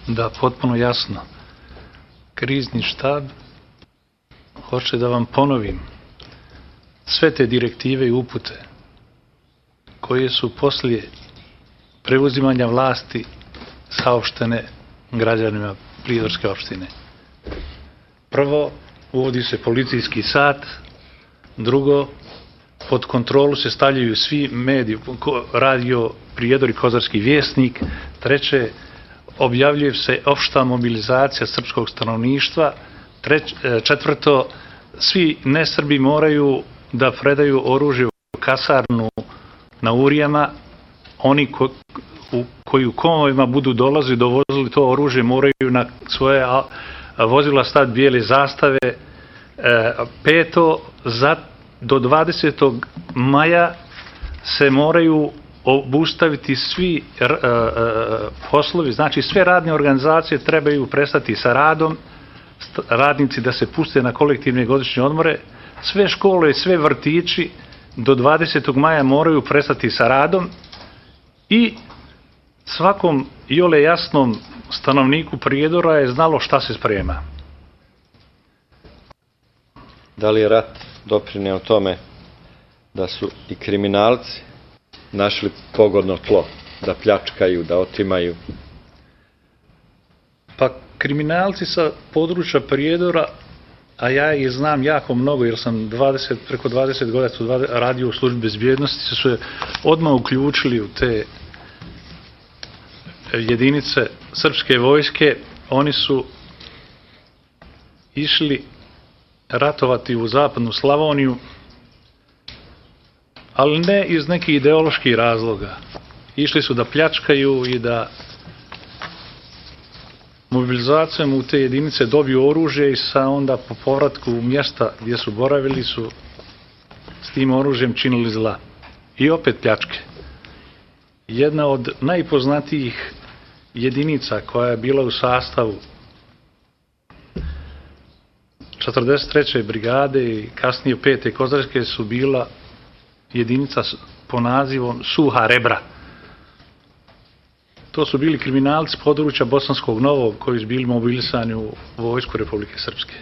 Da, potpuno jasno. Krizni štab, hoće da vam ponovim, sve te direktive i upute koje su poslije preuzimanja vlasti saopštene građanima Prijedorske opštine. Prvo, uvodi se policijski sat. Drugo, pod kontrolu se stavljaju svi mediji, radio Prijedor i Kozarski vjesnik. Treće, objavljuje se opšta mobilizacija srpskog stanovništva. Četvrto, svi nesrbi moraju da predaju oružje u kasarnu na Urijama. Oni koji u konvojima budu dolazili, dovozili to oružje, moraju na svoje vozila staviti bijele zastave. Peto, do 20. maja se moraju obustaviti svi poslovi, znači sve radne organizacije trebaju prestati sa radom, radnici da se puste na kolektivne godišnje odmore, sve škole i sve vrtići do 20. maja moraju prestati sa radom i svakom iole jasnom stanovniku Prijedora je znalo šta se sprema. Da li je rat doprineo tome da su i kriminalci našli pogodno tlo, da pljačkaju, da otimaju? Pa kriminalci sa područja Prijedora, a ja ih znam jako mnogo jer sam preko 20 godina radio u službi bezbjednosti, su se odmah uključili u te jedinice srpske vojske. Oni su išli ratovati u zapadnu Slavoniju, ali ne iz nekih ideoloških razloga. Išli su da pljačkaju i da mobilizacijom u te jedinice dobiju oružje i onda po povratku u mjesta gdje su boravili su s tim oružjem činili zla. I opet pljačke. Jedna od najpoznatijih jedinica koja je bila u sastavu 43. brigade i kasnije 5. Kozarske su bila jedinica po nazivom Suha Rebra. To su bili kriminalci područja Bosanskog Novog koji su bili mobilisani u vojsku Republike Srpske.